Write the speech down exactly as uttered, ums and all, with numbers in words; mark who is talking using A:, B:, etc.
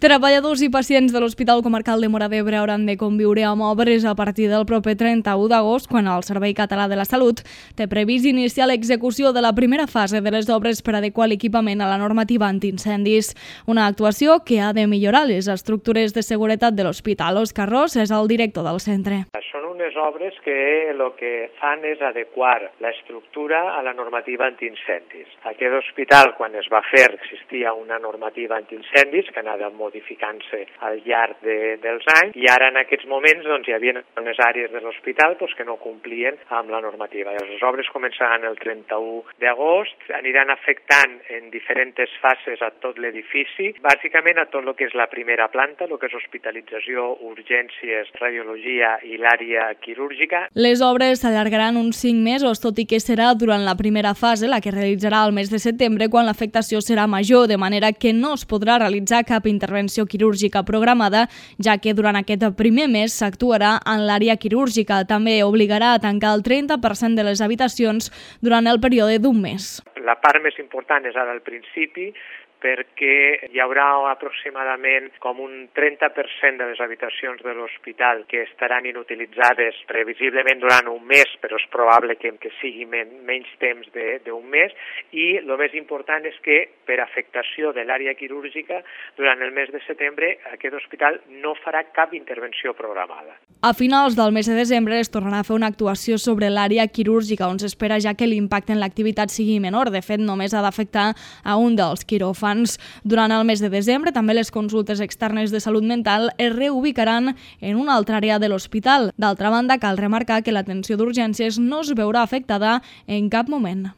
A: Treballadors i pacients de l'Hospital Comarcal de Móra d'Ebre hauran de conviure amb obres a partir del proper trenta-u d'agost, quan el Servei Català de la Salut té previst iniciar l'execució de la primera fase de les obres per adequar l'equipament a la normativa antiincendis. Una actuació que ha de millorar les estructures de seguretat de l'hospital. Òscar Ros és el director del centre.
B: Són unes obres que el que fan és adequar l'estructura a la normativa antiincendis. Aquest hospital, quan es va fer, existia una normativa antiincendis que anava modificant-se al llarg de, dels anys, i ara en aquests moments doncs, hi havia unes àrees de l'hospital doncs, que no complien amb la normativa. Les obres començaran el trenta-u d'agost, aniran afectant en diferents fases a tot l'edifici, bàsicament a tot el que és la primera planta, el que és hospitalització, urgències, radiologia i l'àrea quirúrgica.
A: Les obres s'allargaran uns cinc mesos, tot i que serà durant la primera fase, la que realitzarà al mes de setembre, quan l'afectació serà major, de manera que no es podrà realitzar cap intervenció quirúrgica programada, ja que durant aquest primer mes s'actuarà en l'àrea quirúrgica. També obligarà a tancar el trenta per cent de les habitacions durant el període d'un mes.
B: La part més important és ara al principi, perquè hi haurà aproximadament com un trenta per cent de les habitacions de l'hospital que estaran inutilitzades previsiblement durant un mes, però és probable que, que sigui men, menys temps d'un mes, i el més important és que per afectació de l'àrea quirúrgica durant el mes de setembre aquest hospital no farà cap intervenció programada.
A: A finals del mes de desembre es tornarà a fer una actuació sobre l'àrea quirúrgica, on s'espera ja que l'impacte en l'activitat sigui menor. De fet, només ha d'afectar a un dels quiròfans. Durant el mes de desembre, també les consultes externes de salut mental es reubicaran en una altra àrea de l'hospital. D'altra banda, cal remarcar que l'atenció d'urgències no es veurà afectada en cap moment.